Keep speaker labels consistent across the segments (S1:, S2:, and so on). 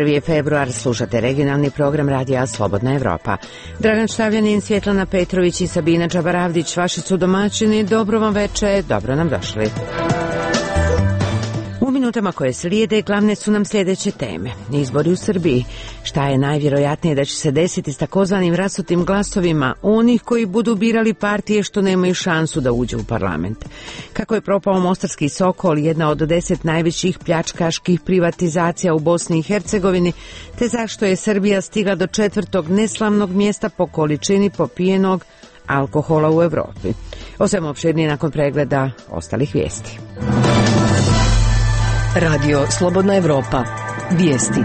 S1: Je februar, slušate regionalni program radija Slobodna Evropa. Dragan Štavljanin, Svjetlana Petrović i Sabina Čabaravdić, vaši su domaćini. Dobro vam veče, dobro nam došli. U minutama koje slijede glavne su nam sljedeće teme. Izbori u Srbiji. Šta je najvjerojatnije da će se desiti s takozvanim rasutim glasovima onih koji budu birali partije što nemaju šansu da uđu u parlament? Kako je propao Mostarski Sokol, jedna od 10 najvećih pljačkaških privatizacija u Bosni i Hercegovini, te zašto je Srbija stigla do 4. neslavnog mjesta po količini popijenog alkohola u Evropi. O svemu opširnije nakon pregleda ostalih vijesti.
S2: Radio Slobodna Evropa. Vijesti.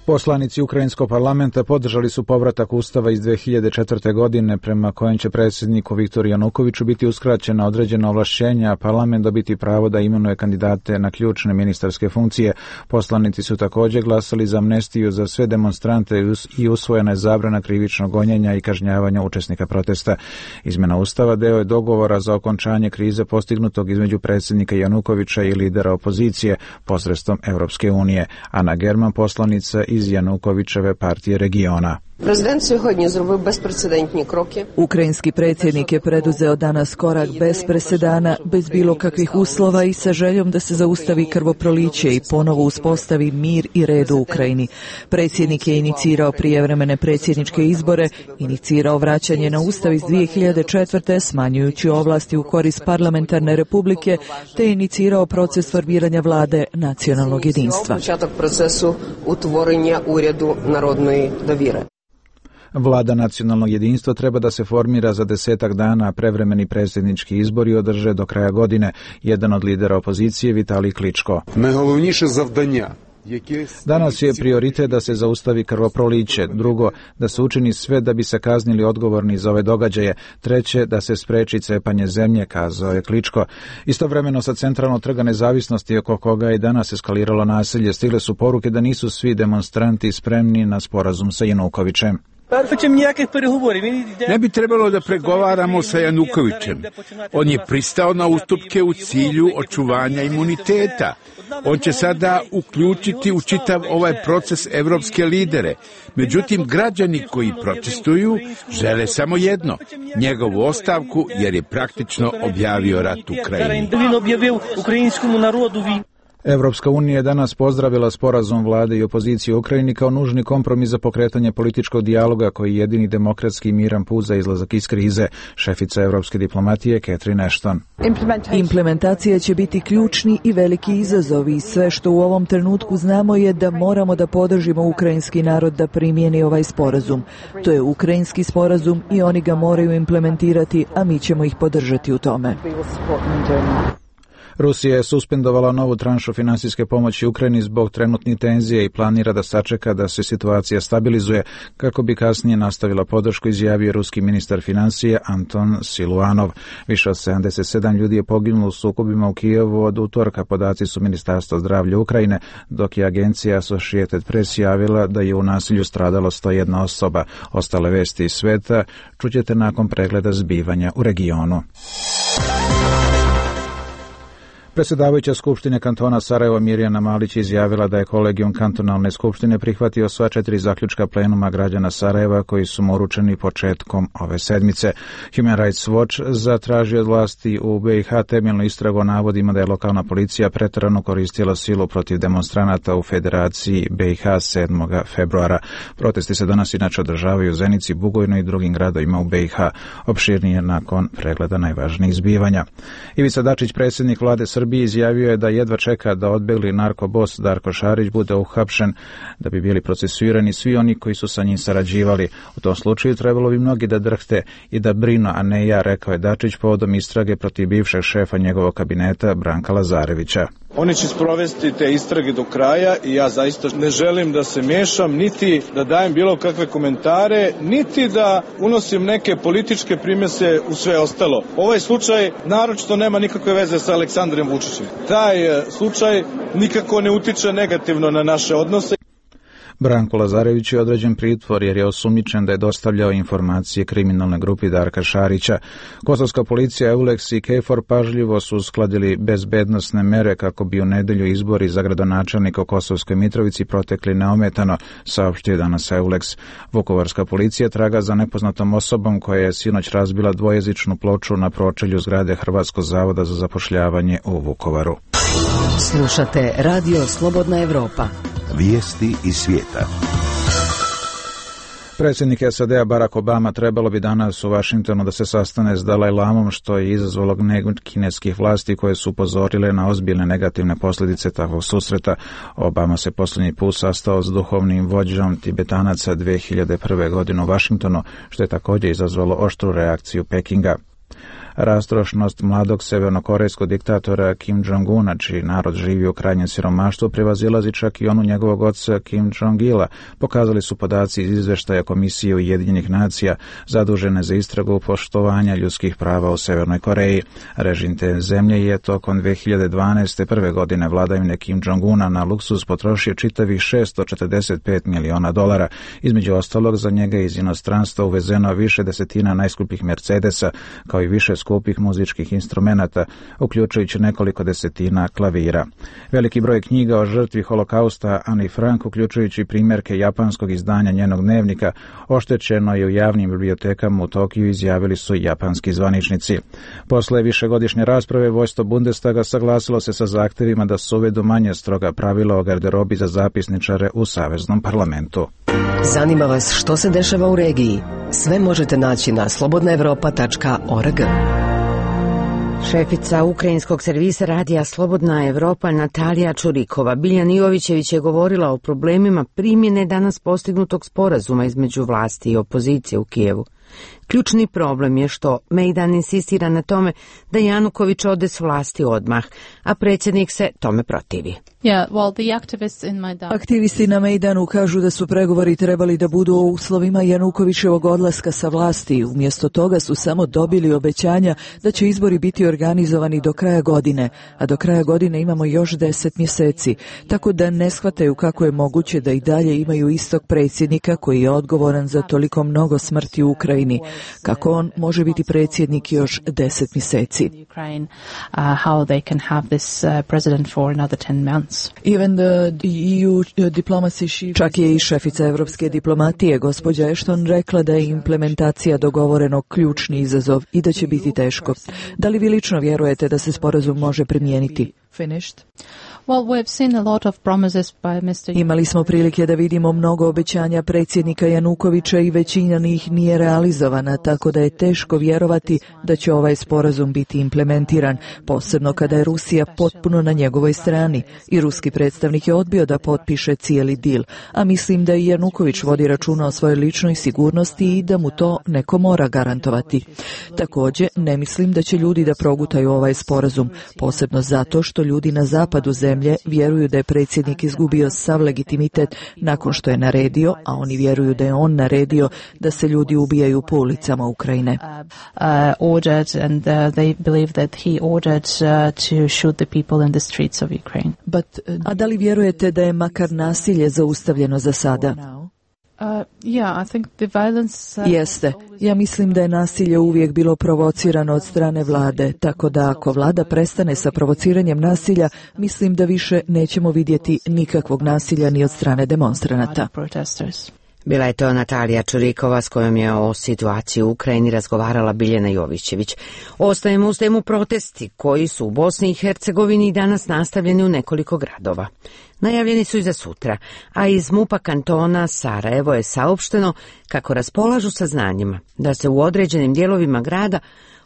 S3: Poslanici Ukrajinskog parlamenta podržali su povratak Ustava iz 2004. godine prema kojem će predsjedniku Viktoru Janukoviću biti uskraćena određena ovlašćenja, a parlament dobiti pravo da imenuje kandidate na ključne ministarske funkcije. Poslanici su također glasali za amnestiju za sve demonstrante i usvojena je zabrana krivičnog gonjenja i kažnjavanja učesnika protesta. Izmjena Ustava deo je dogovora za okončanje krize postignutog između predsjednika Janukovića i lidera opozicije posredstvom Europske unije. Ana German, poslanica iz Janukovićeve partije regiona.
S4: Президент сьогодні зробив безпрецедентні кроки.
S2: Ukrajinski predsjednik je preduzeo danas korak bez presedana, bez bilo kakvih uslova i sa željom da se zaustavi krvoproliće i ponovo uspostavi mir i red u Ukrajini. Predsjednik je inicirao prijevremene predsjedničke izbore, inicirao vraćanje na Ustav iz 2004. smanjujući ovlasti u korist parlamentarne republike, te inicirao proces formiranja vlade nacionalnog jedinstva.
S4: Početak procesu utvorenja urjadu narodної довіри.
S3: Vlada nacionalnog jedinstva treba da se formira za 10 dana, a prevremeni predsjednički izbori održe do kraja godine. Jedan od lidera opozicije, Vitalij Kličko.
S5: Najголовніше завдання.
S3: Danas je prioritet da se zaustavi krvoproliće, drugo, da se učini sve da bi se kaznili odgovorni za ove događaje, treće, da se spreči cepanje zemlje, kazao je Kličko. Istovremeno sa centralnog trga Nezavisnosti oko koga je danas eskaliralo nasilje, stigle su poruke da nisu svi demonstranti spremni na sporazum sa Janukovićem.
S5: Ne bi trebalo da pregovaramo sa Janukovićem. On je pristao na ustupke u cilju očuvanja imuniteta. On će sada uključiti u čitav ovaj proces evropske lidere. Međutim, građani koji protestuju žele samo jedno, njegovu ostavku, jer je praktično objavio rat Ukrajini.
S3: Evropska unija je danas pozdravila sporazum vlade i opozicije u Ukrajini kao nužni kompromis za pokretanje političkog dijaloga koji je jedini demokratski i miran put za izlazak iz krize. Šefica evropske diplomatije Catherine Ashton.
S2: Implementacija će biti ključni i veliki izazov i sve što u ovom trenutku znamo je da moramo da podržimo ukrajinski narod da primijeni ovaj sporazum. To je ukrajinski sporazum i oni ga moraju implementirati, a mi ćemo ih podržati u tome.
S3: Rusija je suspendovala novu tranšu finansijske pomoći Ukrajini zbog trenutnih tenzija i planira da sačeka da se situacija stabilizuje kako bi kasnije nastavila podršku, izjavio ruski ministar financija Anton Siluanov. Više od 77 ljudi je poginulo u sukobima u Kijevu od utorka, podaci su Ministarstva zdravlja Ukrajine, dok je agencija Associated Press javila da je u nasilju stradalo 101 osoba. Ostale vesti iz sveta čućete nakon pregleda zbivanja u regionu. Predsjedavajuća Skupštine kantona Sarajevo Mirjana Malić izjavila da je kolegijum kantonalne skupštine prihvatio sva 4 zaključka plenuma građana Sarajeva koji su mu uručeni početkom ove sedmice. Human Rights Watch zatražio od vlasti u BiH temeljnu istragu o navodima da je lokalna policija pretjerano koristila silu protiv demonstranata u Federaciji BiH 7. februara. Protesti se danas inače održavaju u Zenici, Bugojnu i drugim gradovima u BiH. Opširnije nakon pregleda najvažnijih zbivanja. Ivica Dačić, predsjednik vlade Srbiji, izjavio je da jedva čeka da odbegli narkobos Darko Šarić bude uhapšen, da bi bili procesuirani svi oni koji su sa njim sarađivali. U tom slučaju trebalo bi mnogi da drhte i da brinu, a ne ja, rekao je Dačić povodom istrage protiv bivšeg šefa njegovog kabineta Branka Lazarevića.
S6: Oni će sprovesti te istrage do kraja i ja zaista ne želim da se miješam, niti da dajem bilo kakve komentare, niti da unosim neke političke primjese u sve ostalo. Ovaj slučaj naročito nema nikakve veze sa Aleksandrom Vučićem. Taj slučaj nikako ne utiče negativno na naše odnose.
S3: Branko Lazarević je određen pritvor jer je osumnjičen da je dostavljao informacije kriminalnoj grupi Darka Šarića. Kosovska policija, EULEX i KFOR pažljivo su uskladili bezbednosne mere kako bi u nedelju izbori za gradonačelnika u Kosovskoj Mitrovici protekli neometano, saopštio danas EULEX. Vukovarska policija traga za nepoznatom osobom koja je sinoć razbila dvojezičnu ploču na pročelju zgrade Hrvatskog zavoda za zapošljavanje u Vukovaru.
S7: Slušate Radio Slobodna Evropa.
S8: Vijesti iz svijeta.
S3: Predsjednik SAD-a Barack Obama trebalo bi danas u Vašingtonu da se sastane s Dalaj Lamom, što je izazvalo gnjev kineskih vlasti koje su upozorile na ozbiljne negativne posljedice takvog susreta. Obama se posljednji put sastao s duhovnim vođom Tibetanaca 2001. godine u Vašingtonu, što je također izazvalo oštru reakciju Pekinga. Rastrošnost mladog severnokorejskog diktatora Kim Jong-una, čiji narod živi u krajnjem siromaštvu, prevazilazi čak i onu njegovog oca Kim Jong-ila, pokazali su podaci iz izveštaja Komisije Ujedinjenih nacija zadužene za istragu poštovanja ljudskih prava u Severnoj Koreji. Režim te zemlje je tokom 2012. prve godine vladavine Kim Jong-una na luksuz potrošio čitavih $645 miliona. Između ostalog, za njega iz inostranstva uvezeno više desetina najskupljih Mercedesa, kao i više skupih muzičkih instrumenata, uključujući nekoliko desetina klavira. Veliki broj knjiga o žrtvi holokausta Ani Frank, uključujući primjerke japanskog izdanja njenog dnevnika, oštećeno je u javnim bibliotekama u Tokiju, izjavili su japanski zvaničnici. Posle višegodišnje rasprave, vodstvo Bundestaga saglasilo se sa zahtjevima da se uvedu manje stroga pravila o garderobi za zapisničare u Saveznom parlamentu.
S7: Zanima vas što se dešava u regiji? Sve možete naći na slobodnaevropa.org.
S1: Šefica ukrajinskog servisa radija Slobodna Evropa Natalija Čurikova Biljan Jovićević je govorila o problemima primjene danas postignutog sporazuma između vlasti i opozicije u Kijevu. Ključni problem je što Mejdan insistira na tome da Januković ode s vlasti odmah, a predsjednik se tome protivi.
S2: Aktivisti na Mejdanu kažu da su pregovori trebali da budu o uslovima Janukovićevog odlaska sa vlasti. Umjesto toga su samo dobili obećanja da će izbori biti organizovani do kraja godine, a do kraja godine imamo još 10 mjeseci, tako da ne shvataju kako je moguće da i dalje imaju istog predsjednika koji je odgovoran za toliko mnogo smrti u Ukrajini. Kako on može biti predsjednik još 10 mjeseci? Čak je i šefica evropske diplomatije, gospođa Ashton, rekla da je implementacija dogovorenog ključni izazov i da će biti teško. Da li vi lično vjerujete da se sporazum može primijeniti? Imali smo prilike da vidimo mnogo obećanja predsjednika Janukovića i većina njih nije realizovana, tako da je teško vjerovati da će ovaj sporazum biti implementiran, posebno kada je Rusija potpuno na njegovoj strani i ruski predstavnik je odbio da potpiše cijeli dil, a mislim da i Januković vodi računa o svojoj ličnoj sigurnosti i da mu to neko mora garantovati. Također, ne mislim da će ljudi da progutaju ovaj sporazum, posebno zato što ljudi na zapadu zemlje vjeruju da je predsjednik izgubio sav legitimitet nakon što je naredio, a oni vjeruju da je on naredio da se ljudi ubijaju po ulicama Ukrajine. A da li vjerujete da je makar nasilje zaustavljeno za sada? Jeste. Ja mislim da je nasilje uvijek bilo provocirano od strane vlade, tako da ako vlada prestane sa provociranjem nasilja, mislim da više nećemo vidjeti nikakvog nasilja ni od strane demonstranata.
S1: Bila je to Natalija Čurikova s kojom je o situaciji u Ukrajini razgovarala Biljana Jovićević. Ostajemo uz temu protesti koji su u Bosni i Hercegovini danas nastavljeni u nekoliko gradova. Najavljeni su i za sutra, a iz MUP-a kantona Sarajevo je saopšteno kako raspolažu saznanjima da se u određenim dijelovima grada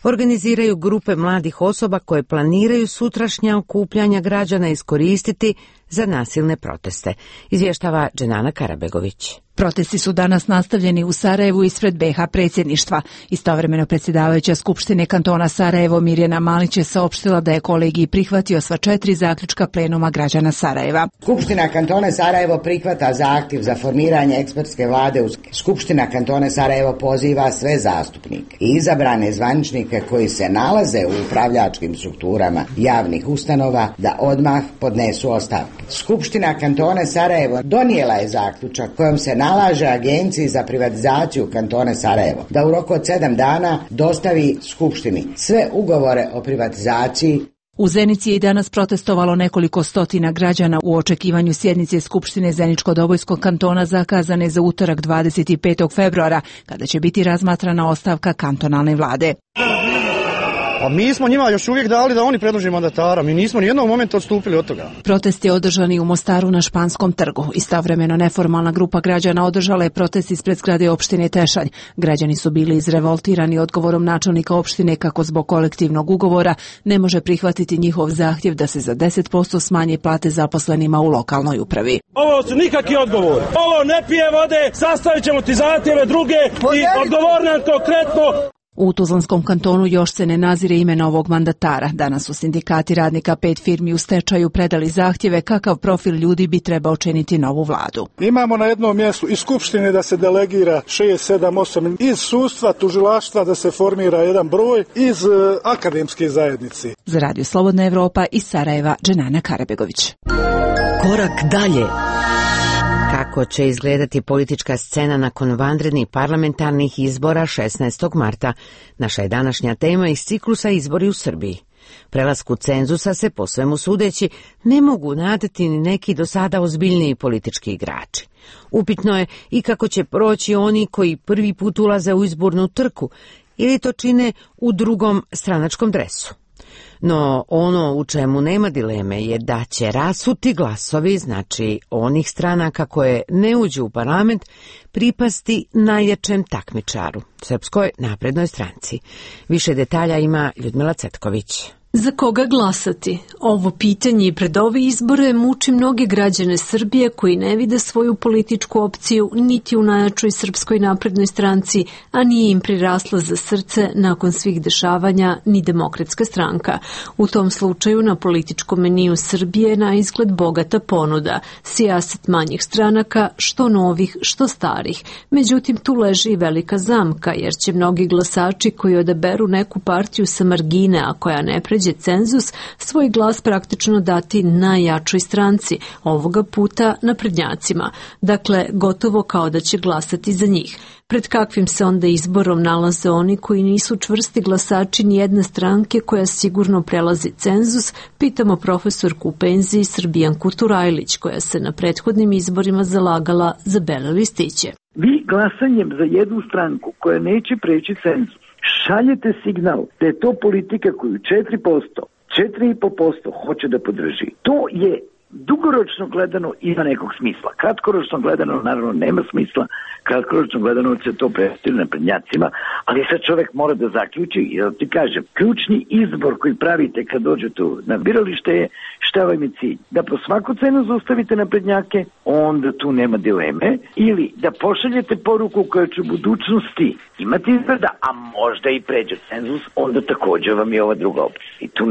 S1: organiziraju grupe mladih osoba koje planiraju sutrašnja okupljanja građana iskoristiti za nasilne proteste, izvještava Dženana Karabegović.
S9: Protesti su danas nastavljeni u Sarajevu ispred BiH predsjedništva. Istovremeno predsjedavajuća Skupštine kantona Sarajevo Mirjana Malić je saopštila da je kolegij prihvatio sva 4 zaključka plenuma građana Sarajeva.
S10: Skupština kantona Sarajevo prihvata zahtjev za formiranje ekspertske vlade. Skupština kantona Sarajevo poziva sve zastupnike i izabrane zvaničnike koji se nalaze u upravljačkim strukturama javnih ustanova da odmah podnesu ostavke. Skupština kantona Sarajevo donijela je zaključak kojom se nalaže Agenciji za privatizaciju kantona Sarajevo da u roku od 7 dana dostavi Skupštini sve ugovore o privatizaciji.
S9: U Zenici je i danas protestovalo nekoliko stotina građana u očekivanju sjednice Skupštine Zeničko-Dobojskog kantona zakazane za utorak 25. februara, kada će biti razmatrana ostavka kantonalne vlade.
S11: A mi smo njima još uvijek dali da oni predlože mandatara. Mi nismo ni jednog momenta odstupili od toga.
S9: Protest je održan i u Mostaru na Španskom trgu. Istovremeno neformalna grupa građana održala je protest ispred zgrade opštine Tešanj. Građani su bili izrevoltirani odgovorom načelnika opštine kako zbog kolektivnog ugovora ne može prihvatiti njihov zahtjev da se za 10% smanje plate zaposlenima u lokalnoj upravi.
S12: Ovo su nikakvi odgovor. Ovo ne pije vode, sastavit ćemo ti zahtjeve druge i odgovor nam konkretno.
S9: U Tuzlanskom kantonu još se ne nazire ime novog mandatara. Danas su sindikati radnika 5 firmi u stečaju predali zahtjeve kakav profil ljudi bi trebao činiti novu vladu.
S13: Imamo na jednom mjestu iz Skupštine da se delegira 6, 7, 8, iz sudstva, tužilaštva da se formira jedan broj, iz akademske zajednice.
S9: Za Radio Slobodna Evropa iz Sarajeva, Dženana Karabegović.
S7: Korak dalje.
S1: Kako će izgledati politička scena nakon vanrednih parlamentarnih izbora 16. marta? Naša je današnja tema iz ciklusa Izbori u Srbiji. Prelasku cenzusa se, po svemu sudeći, ne mogu nadati ni neki do sada ozbiljniji politički igrači. Upitno je i kako će proći oni koji prvi put ulaze u izbornu trku ili to čine u drugom stranačkom dresu. No ono u čemu nema dileme je da će rasuti glasovi, znači onih stranaka koje ne uđu u parlament, pripasti najjačem takmičaru, Srpskoj naprednoj stranci. Više detalja ima Ljudmila Cetković.
S14: Za koga glasati? Ovo pitanje pred ove izbore muči mnoge građane Srbije koji ne vide svoju političku opciju niti u najjačoj Srpskoj naprednoj stranci, a nije im prirasla za srce nakon svih dešavanja ni Demokratska stranka. U tom slučaju na političkom meniju Srbije na izgled bogata ponuda, sijaset manjih stranaka, što novih, što starih. Međutim, tu leži i velika zamka, jer će mnogi glasači koji odaberu neku partiju sa margine, a koja ne pređe cenzus, svoj glas praktično dati najjačoj stranci, ovoga puta naprednjacima. Dakle, gotovo kao da će glasati za njih. Pred kakvim se onda izborom nalaze oni koji nisu čvrsti glasači nijedne stranke koja sigurno prelazi cenzus, pitamo profesorku u penziji Srbijanku Turajlić, koja se na prethodnim izborima zalagala za bele listiće.
S15: Vi glasanjem za jednu stranku koja neće preći cenzus šaljete signal da je to politika koju 4%, 4,5% hoće da podrži. To je dugoročno gledano ima nekog smisla. Kratkoročno gledano naravno nema smisla. Kratkoročno gledano će to prestiti naprednjacima, ali sad čovjek mora da zaključi i da ti kažem, ključni izbor koji pravite kad dođete na biralište je šta vam je cilj. Da po svaku cenu zaustavite naprednjake, onda tu nema dileme, ili da pošaljete poruku koja će u budućnosti imati izgleda, a možda i pređe cenzus, onda također vam je ova druga opcija. I tu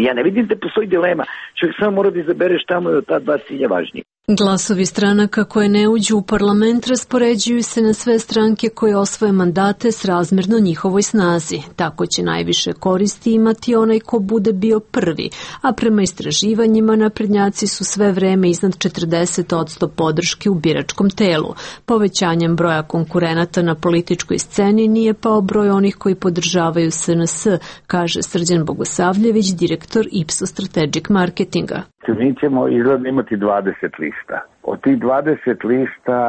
S15: ja ne vidim da postoji dilema. Čovjek samo mora da izabere šta mu je od ta dva cilja važnije.
S14: Glasovi stranaka koje ne uđu u parlament raspoređuju se na sve stranke koje osvoje mandate srazmjerno njihovoj snazi. Tako će najviše koristi imati onaj ko bude bio prvi, a prema istraživanjima naprednjaci su sve vreme iznad 40% podrške u biračkom telu. Povećanjem broja konkurenata na političkoj sceni nije pao broj onih koji podržavaju SNS, kaže Srđan Bogosavljević, direktor Ipsos Strategic Marketinga.
S16: Mi ćemo izgledno imati 20 lista. Od tih 20 lista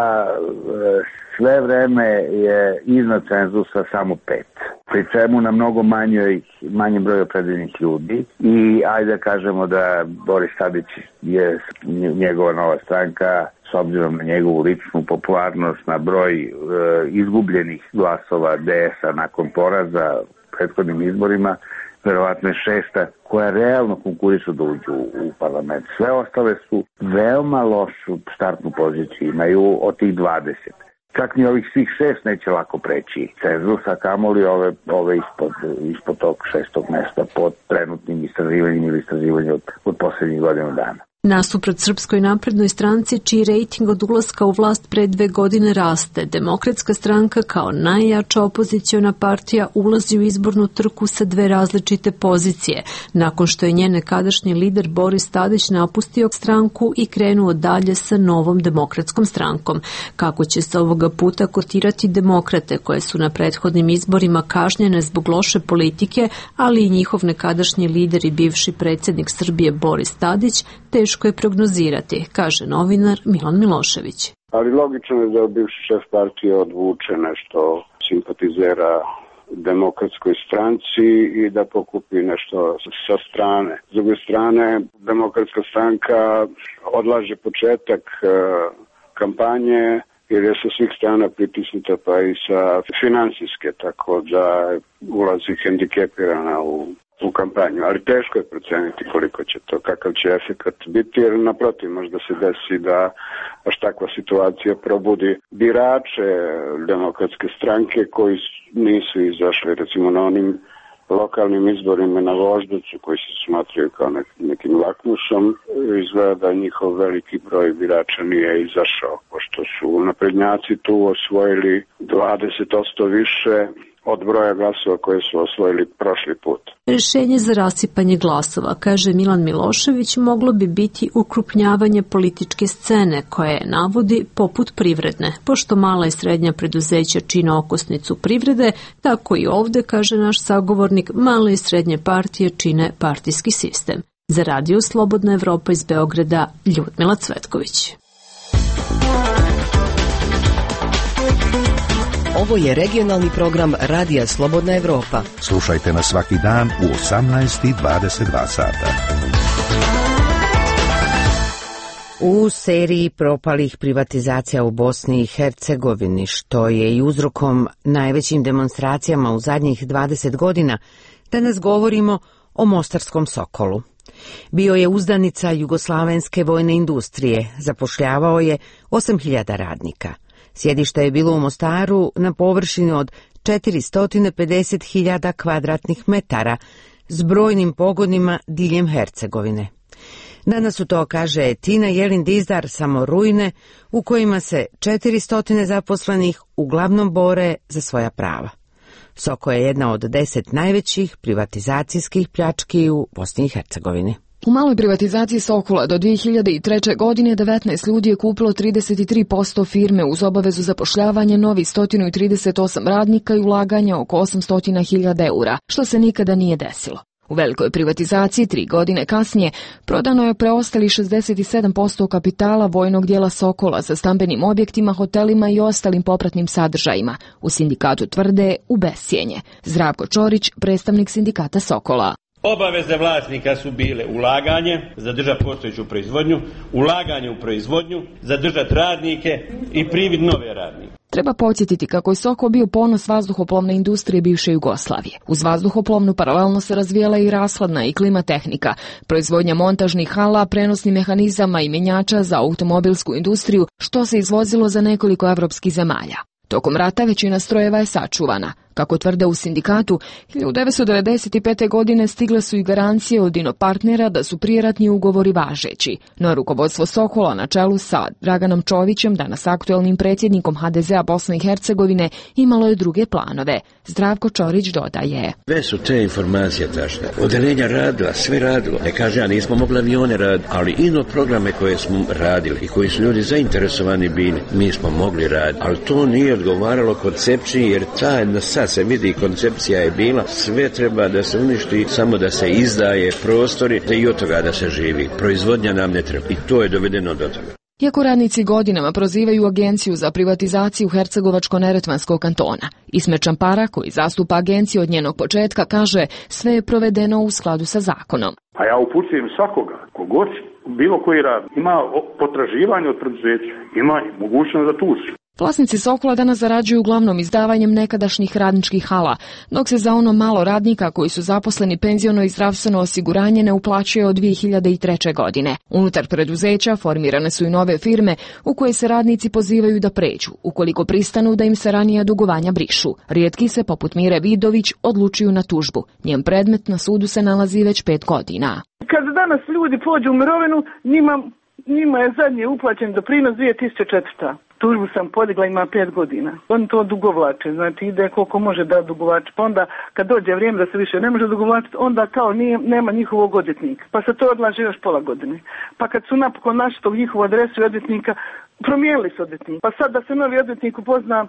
S16: sve vreme je iznad cenzusa samo 5. Pri čemu na mnogo manji broj opredeljenih ljudi. I ajde da kažemo da Boris Tadić je njegova nova stranka, s obzirom na njegovu ličnu popularnost, na broj izgubljenih glasova DS-a nakon poraza prethodnim izborima, verovatno je 6. koja realno konkurišu da uđu u parlament. Sve ostale su veoma lošu startnu poziciju, imaju od tih 20. Čak ni ovih svih 6 neće lako preći cenzusa, kamoli ove ispod tog 6. mesta pod trenutnim istraživanjem ili istraživanjem od posljednjih godina dana.
S14: Nasuprot Srpskoj naprednoj stranci, čiji rejting od ulaska u vlast pre 2 godine raste, Demokratska stranka kao najjača opoziciona partija ulazi u izbornu trku sa 2 različite pozicije, nakon što je njen nekadašnji lider Boris Tadić napustio stranku i krenuo dalje sa Novom demokratskom strankom. Kako će se ovoga puta kotirati demokrate, koje su na prethodnim izborima kažnjene zbog loše politike, ali i njihov nekadašnji lider i bivši predsjednik Srbije Boris Tadić, teško je prognozirati, kaže novinar Milan Milošević.
S17: Ali logično je da bivši šef partije odvuče nešto simpatizera Demokratskoj stranci i da pokupi nešto sa strane. S druge strane, Demokratska stranka odlaže početak kampanje jer je sa svih strana pritisnuta pa i sa finansijske, tako da ulazi hendikepirana u kampanju, ali teško je proceniti koliko će to, kakav će efekat biti, jer naprotiv možda se desi da baš takva situacija probudi birače Demokratske stranke koji nisu izašli recimo na onim lokalnim izborima na Voždovcu koji se smatraju kao nekim lakmusom. Izgleda da njihov veliki broj birača nije izašao, pošto su naprednjaci tu osvojili 20% više od broja glasova koje su osvojili prošli put.
S14: Rješenje za rasipanje glasova, kaže Milan Milošević, moglo bi biti ukrupnjavanje političke scene, koje navodi poput privredne. Pošto mala i srednja preduzeća čine okosnicu privrede, tako i ovdje, kaže naš sagovornik, male i srednje partije čine partijski sistem. Za Radio Slobodna Evropa iz Beograda, Ljudmila Cvetković.
S7: Ovo je regionalni program Radija Slobodna Evropa.
S8: Slušajte nas svaki dan u 18:22 sata.
S1: U seriji propalih privatizacija u Bosni i Hercegovini, što je i uzrokom najvećim demonstracijama u zadnjih 20 godina, danas govorimo o Mostarskom Sokolu. Bio je uzdanica jugoslavenske vojne industrije, zapošljavao je 8.000 radnika. Sjedište je bilo u Mostaru na površini od 450.000 kvadratnih metara s brojnim pogonima diljem Hercegovine. Danas su to, kaže Tina Jelin Dizdar, samo ruine u kojima se 400 zaposlenih uglavnom bore za svoja prava. Soko je jedna od 10 najvećih privatizacijskih pljački u Bosni i Hercegovini.
S18: U maloj privatizaciji Sokola do 2003. godine 19 ljudi je kupilo 33% firme uz obavezu zapošljavanja novih 138 radnika i ulaganja oko 800.000 eura, što se nikada nije desilo. U velikoj privatizaciji 3 godine kasnije prodano je preostali 67% kapitala vojnog dijela Sokola za stambenim objektima, hotelima i ostalim popratnim sadržajima. U sindikatu tvrde u bescijenje. Zdravko Čorić, predstavnik sindikata Sokola.
S19: Obaveze vlasnika su bile ulaganje, zadržati postojeću proizvodnju, ulaganje u proizvodnju, zadržati radnike i privid nove radnike.
S18: Treba podsjetiti kako je Sokol bio ponos vazduhoplovne industrije bivše Jugoslavije. Uz vazduhoplovnu paralelno se razvijala i rashladna i klimatehnika, proizvodnja montažnih hala, prenosnih mehanizama i mjenjača za automobilsku industriju, što se izvozilo za nekoliko evropskih zemalja. Tokom rata većina strojeva je sačuvana. Kako tvrde u sindikatu, 1995. godine stigle su i garancije od inopartnera da su prijeratni ugovori važeći. No rukovodstvo Sokola na čelu sa Draganom Čovićem, danas aktuelnim predsjednikom HDZ-a Bosne i Hercegovine, imalo je druge planove. Zdravko Čorić dodaje.
S20: Sve su te informacije tačne. Odeljenja radila, sve radilo. Ne kaže, ja nismo mogli avione raditi, ali ino programe koje smo radili i koji su ljudi zainteresovani bili, mi smo mogli raditi. Ali to nije odgovaralo koncepciji, jer ta sad se vidi, koncepcija je bila, sve treba da se uništi, samo da se izdaje prostori i od toga da se živi. Proizvodnja nam ne treba i to je dovedeno do toga.
S18: Iako radnici godinama prozivaju Agenciju za privatizaciju Hercegovačko-Neretvanskog kantona, Ismet Čampara, koji zastupa agenciju od njenog početka, kaže sve je provedeno u skladu sa zakonom.
S21: A ja upućujem svakoga, kogod bilo koji rad ima potraživanje od preduzeća, ima mogućnost da tuži.
S18: Vlasnici Sokola danas zarađuju uglavnom izdavanjem nekadašnjih radničkih hala, dok se za ono malo radnika koji su zaposleni penziono i zdravstveno osiguranje ne uplaćuje od 2003. godine. Unutar preduzeća formirane su i nove firme u koje se radnici pozivaju da pređu, ukoliko pristanu da im se ranija dugovanja brišu. Rijetki se, poput Mire Vidović, odlučuju na tužbu. Njen predmet na sudu se nalazi već 5 godina.
S4: Kad danas ljudi pođu u mirovinu, njima je zadnji uplaćen doprinos 2004. Tužbu sam podigla, ima 5 godina. Oni to dugovlače, znači ide koliko može da dugovlače. Pa onda kad dođe vrijeme da se više ne može dugovlačiti, onda kao nema njihovog odvjetnika. Pa se to odlaže još pola godine. Pa kad su napokon našli tog njihovu adresu i odvjetnika, promijenili su odvjetnika. Pa sad da se novi odvjetnik upozna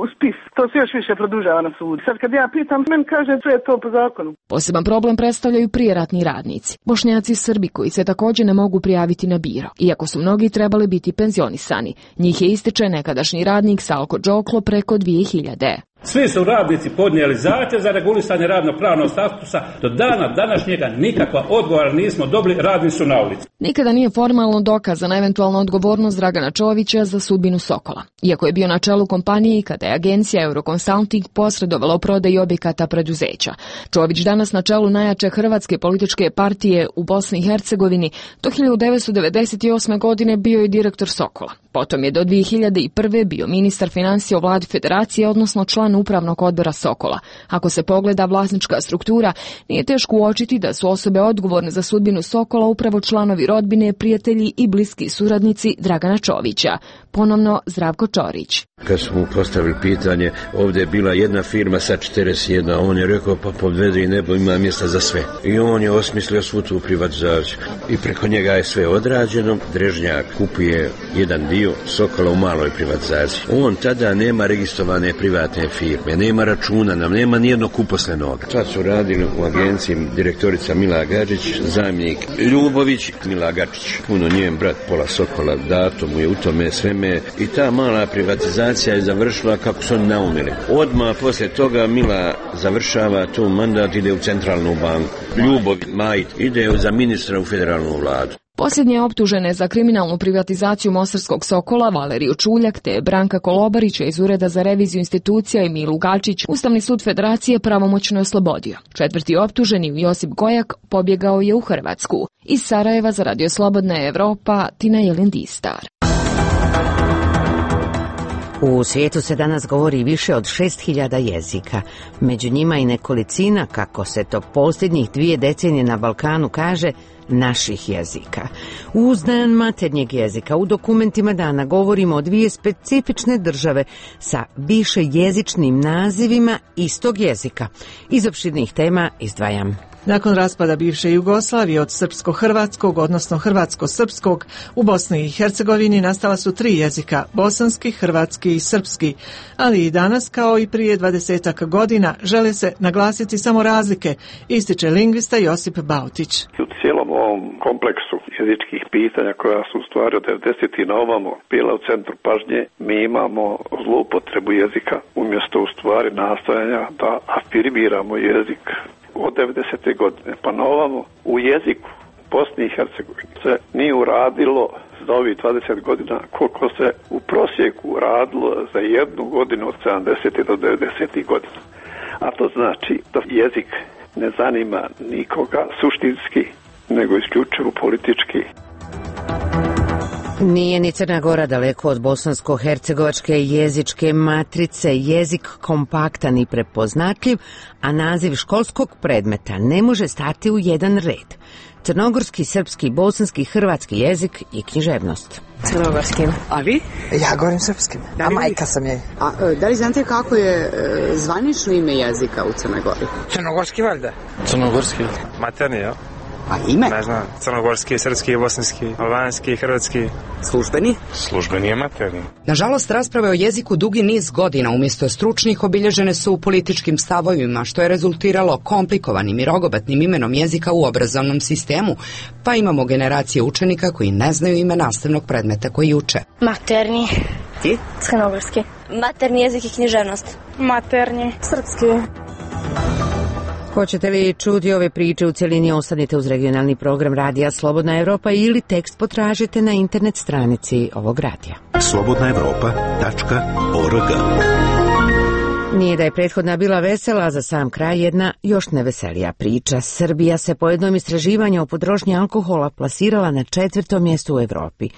S4: u spis, to se još više produžava na sudu. Sad kad ja pitam, meni kaže sve je to po zakonu.
S18: Poseban problem predstavljaju prijeratni radnici. Bošnjaci i Srbi koji se također ne mogu prijaviti na biro, iako su mnogi trebali biti penzionisani. Njih je ističe nekadašnji radnik Salko Đoklo preko 2000.
S22: Svi su radnici podnijeli zahtjev za regulisanje radno-pravnog statusa. Do dana današnjega nikakva odgovora nismo dobili, radni su na ulici.
S18: Nikada nije formalno dokazana eventualna odgovornost Dragana Čovića za sudbinu Sokola. Iako je bio na čelu kompanije kada je agencija Euroconsulting posredovala u prodaji objekata preduzeća. Čović danas na čelu najjače hrvatske političke partije u Bosni i Hercegovini do 1998. godine bio je direktor Sokola. Potom je do 2001. bio ministar financija u vladi Federacije, odnosno član upravnog odbora Sokola. Ako se pogleda vlasnička struktura, nije teško uočiti da su osobe odgovorne za sudbinu Sokola upravo članovi rodbine, prijatelji i bliski suradnici Dragana Čovića. Ponovno Zdravko Čorić.
S20: Kad smo mu postavili pitanje, ovdje je bila jedna firma sa 41, on je rekao pa podvede i nebo, ima mjesta za sve. I on je osmislio svu tu privatizaciju. I preko njega je sve odrađeno. Drežnjak kupuje jedan dio Sokola u maloj privatizaciji. On tada nema registrovane privatne firme, nema računa nam, nema nijednog uposlenog. Sad su radili u agenciji direktorica Mila Gadžić, zamjenik Ljubović, Mila Gačić, puno njen brat pola Sokola, dato mu je u tome sveme. I ta mala privatizacija je završila kako su oni naumili. Odmah poslije toga Mila završava tu mandat, ide u centralnu banku. Ljubov Majt ide za ministra u federalnu vladu.
S18: Posljednje optužene za kriminalnu privatizaciju mostarskog Sokola, Valeriju Čuljak te Branka Kolobarića iz Ureda za reviziju institucija i Milu Gačić, Ustavni sud Federacije pravomoćno je oslobodio. Četvrti optuženi, Josip Gojak, pobjegao je u Hrvatsku. Iz Sarajeva za Radio Slobodna Evropa, Tina Jelindistar.
S1: U svijetu se danas govori više od 6000 jezika. Među njima i nekolicina, kako se to posljednjih 2 decenije na Balkanu kaže, naših jezika. Uz dan maternjeg jezika u dokumentima dana govorimo o 2 specifične države sa više jezičnim nazivima istog jezika. Iz opširnih tema izdvajam.
S2: Nakon raspada bivše Jugoslavije od srpsko-hrvatskog, odnosno hrvatsko-srpskog, u Bosni i Hercegovini nastala su 3 jezika, bosanski, hrvatski i srpski. Ali i danas, kao i prije 20 godina, žele se naglasiti samo razlike, ističe lingvista Josip Bautić.
S21: U cijelom ovom kompleksu jezičkih pitanja koja su u stvari od 90. na ovamo bila u centru pažnje, mi imamo zloupotrebu jezika umjesto u stvari nastojanja da afirmiramo jezik. Od 90. godine pa na ovamo u jeziku Bosni i Hercegovini se nije uradilo za ovih 20 godina koliko se u prosjeku radilo za jednu godinu od 70. do 90. godina. A to znači da jezik ne zanima nikoga suštinski, nego isključivo politički.
S1: Nije ni Crna Gora daleko od bosansko-hercegovačke jezičke matrice, jezik kompaktan i prepoznatljiv, a naziv školskog predmeta ne može stati u jedan red. Crnogorski, srpski, bosanski, hrvatski jezik i književnost.
S23: Crnogorskim. A vi?
S24: Ja govorim srpskim, a majka sam je.
S23: A da li znate kako je zvanično ime jezika u Crnoj Gori?
S24: Crnogorski valjda.
S25: Crnogorski. Materni, ja?
S23: A ime?
S25: Ne znam, crnogorski, srpski, bosanski, albanski, hrvatski.
S23: Službeni?
S25: Službeni je materni.
S23: Nažalost, rasprave o jeziku dugi niz godina umjesto stručnih obilježene su u političkim stavovima, što je rezultiralo komplikovanim i rogobatnim imenom jezika u obrazovnom sistemu, pa imamo generacije učenika koji ne znaju ime nastavnog predmeta koji uče.
S26: Materni.
S23: Ti?
S26: Crnogorski. Materni jezik i književnost. Materni. Srpski.
S1: Hoćete li čuti ove priče u cjelini, ostanite uz regionalni program Radija Slobodna Evropa ili tekst potražite na internet stranici ovog radija.
S8: slobodnaevropa.org.
S1: Nije da je prethodna bila vesela, za sam kraj jedna još neveselija priča. Srbija se po jednom istraživanju o potrošnji alkohola plasirala na 4. mjestu u Evropi.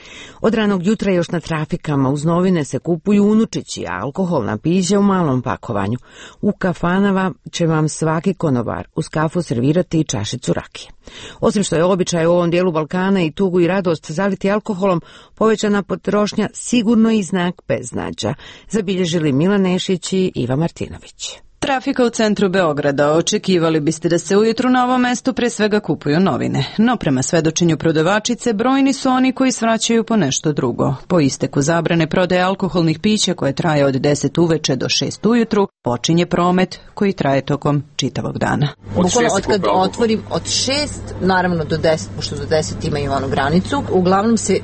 S1: Od ranog jutra još na trafikama uz novine se kupuju unučići, a alkoholna pića u malom pakovanju. U kafanama će vam svaki konobar uz kafu servirati i čašicu rakije. Osim što je običaj u ovom dijelu Balkana i tugu i radost zaliti alkoholom, povećana potrošnja sigurno i znak beznađa, zabilježili Milan Nešić i Iva Martinović.
S3: Trafika u centru Beograda. Očekivali biste da se ujutru na ovom mestu pre svega kupuju novine. No prema svedočenju prodavačice, brojni su oni koji svraćaju po nešto drugo. Po isteku zabrane prodaje alkoholnih pića koje traje od 10 uveče do 6 ujutru, počinje promet koji traje tokom čitavog dana.
S5: Bukvalno od kad otvorim od 6, naravno do 10, pošto do 10 imaju onu granicu. Uglavnom se,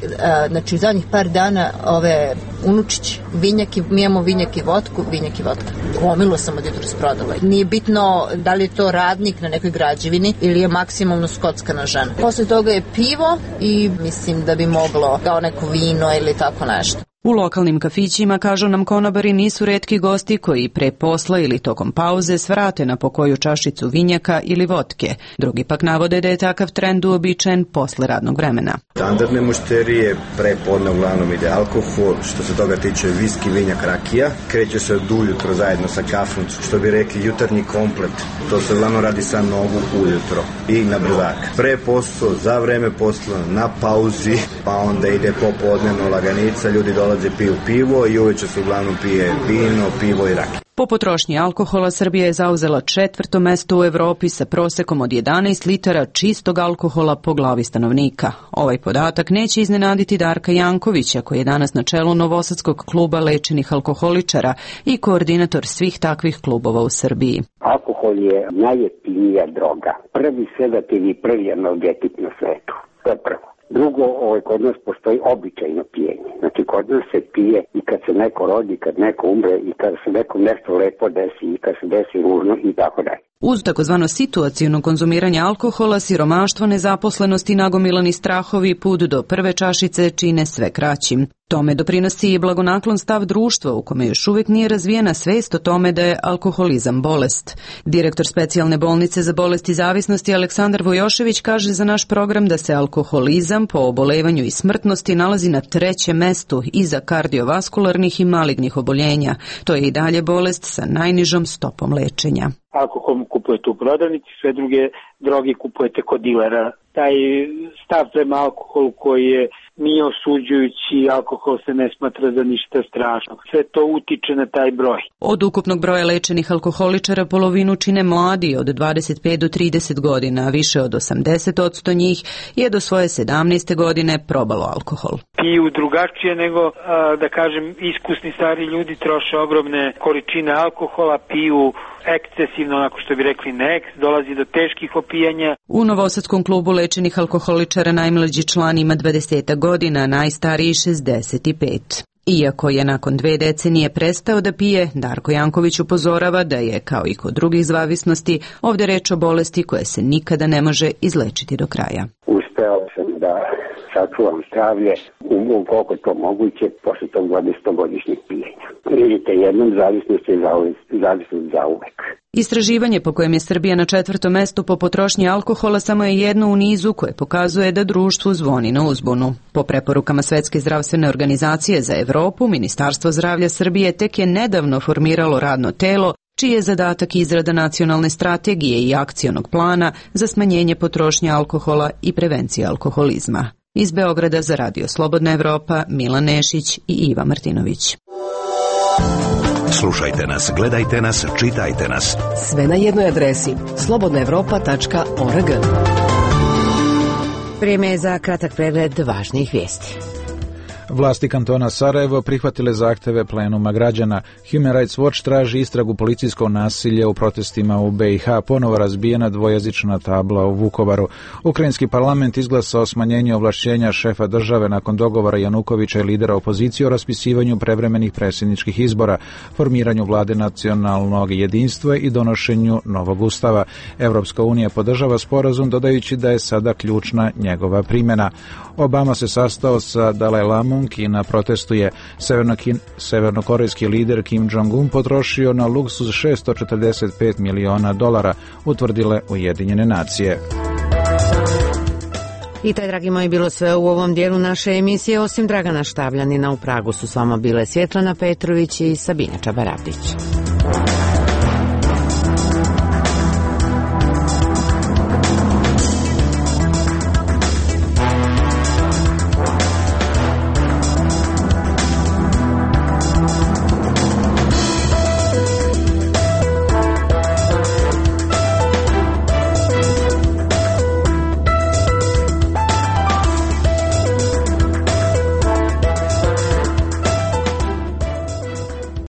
S5: znači u zadnjih par dana ove unučići, vinjak, mi imamo vinjak i vodku, vinjak i vodka. Gomilo sam od jutros prodala. Nije bitno da li je to radnik na nekoj građevini ili je maksimalno skockana žena. Posle toga je pivo i mislim da bi moglo kao neko vino ili tako nešto.
S3: U lokalnim kafićima, kažu nam konobari, nisu retki gosti koji pre posla ili tokom pauze svrate na pokoju čašicu vinjaka ili vodke. Drugi pak navode da je takav trend uobičajen posle radnog vremena.
S6: Standardne mušterije pre podne uglavnom ide alkohol, što se toga tiče viski, vinjak, rakija. Kreće se od ujutro zajedno sa kafom, što bi rekli jutarnji komplet. To se uglavnom radi sa nogu ujutro i na brzak. Pre posla, za vreme posla, na pauzi, pa onda ide popodnevno laganica, ljudi dolaze piju pivo i uveče se uglavnom pije vino, pivo i rakija.
S3: Po potrošnji alkohola Srbija je zauzela 4. mesto u Evropi sa prosekom od 11 litara čistog alkohola po glavi stanovnika. Ovaj podatak neće iznenaditi Darka Jankovića, koji je danas na čelu Novosadskog kluba lečenih alkoholičara i koordinator svih takvih klubova u Srbiji.
S10: Alkohol je najjeftinija droga. Prvi sedativ i prvi analgetik na svetu. To je prvo. Drugo, kod nas postoji običajno pijenje. Znači, kod nas se pije i kad se neko rodi, kad neko umre i kad se nekom nešto lepo desi i kad se desi ružno i tako dalje.
S3: Uz takozvano situaciono konzumiranje alkohola, siromaštvo, nezaposlenost i nagomilani strahovi put do prve čašice čine sve kraćim. Tome doprinosi i blagonaklon stav društva u kome još uvijek nije razvijena svest o tome da je alkoholizam bolest. Direktor specijalne bolnice za bolesti zavisnosti Aleksandar Vojošević kaže za naš program da se alkoholizam po obolevanju i smrtnosti nalazi na 3. mestu iza kardiovaskularnih i malignih oboljenja. To je i dalje bolest sa najnižom stopom lečenja.
S11: Alkohol kupujete u prodavnici, sve druge droge kupujete kod dilera. Taj stav prema alkoholu koji je nije osuđujući, alkohol se ne smatra za ništa strašno. Sve to utiče na taj broj.
S3: Od ukupnog broja lečenih alkoholičara polovinu čine mladi od 25 do 30 godina, a više od 80% njih je do svoje 17. godine probalo alkohol.
S11: Piju drugačije nego, da kažem, iskusni stari ljudi troše ogromne količine alkohola, piju ekscesivno, onako što bi rekli neks, dolazi do teških opijanja.
S3: U Novosadskom klubu lečenih alkoholičara najmlađi član ima 20 godina, najstariji 65. Iako je nakon 2 decenije prestao da pije, Darko Janković upozorava da je, kao i kod drugih zavisnosti, ovdje reč o bolesti koje se nikada ne može izlečiti do kraja.
S10: Uspeo sam da sačuvam zdravlje koliko je to moguće posle tog 20-godišnjeg pijenja. Vidite, jednom zavisnost je zavisnost za uvek.
S3: Istraživanje po kojem je Srbija na 4. mestu po potrošnji alkohola samo je jedno u nizu koje pokazuje da društvu zvoni na uzbunu. Po preporukama Svetske zdravstvene organizacije za Evropu, Ministarstvo zdravlja Srbije tek je nedavno formiralo radno telo čiji je zadatak izrada nacionalne strategije i akcionog plana za smanjenje potrošnje alkohola i prevencije alkoholizma. Iz Beograda za Radio Slobodna Evropa, Milan Nešić i Iva Martinović.
S8: Slušajte nas, gledajte nas, čitajte nas.
S7: Sve na jednoj adresi slobodnaevropa.org.
S1: Vrijeme je za kratak pregled važnih vijesti.
S9: Vlasti kantona Sarajevo prihvatile zahteve plenuma građana. Human Rights Watch traži istragu policijskog nasilja u protestima u BiH, ponovo razbijena dvojezična tabla u Vukovaru. Ukrajinski parlament izglasao smanjenje ovlašćenja šefa države nakon dogovora Janukovića i lidera opozicije o raspisivanju prevremenih predsjedničkih izbora, formiranju vlade nacionalnog jedinstva i donošenju novog ustava. Evropska unija podržava sporazum dodajući da je sada ključna njegova primjena. Obama se sastao sa Dalaj Lamom, Kina protestuje. Severnokorejski lider Kim Jong-un potrošio na luksuz $645 miliona, utvrdile Ujedinjene nacije.
S1: I taj, dragi moji, bilo sve u ovom dijelu naše emisije. Osim Dragana Štavljanina, u Pragu su s vama bile Svjetlana Petrović i Sabina Čabaradić.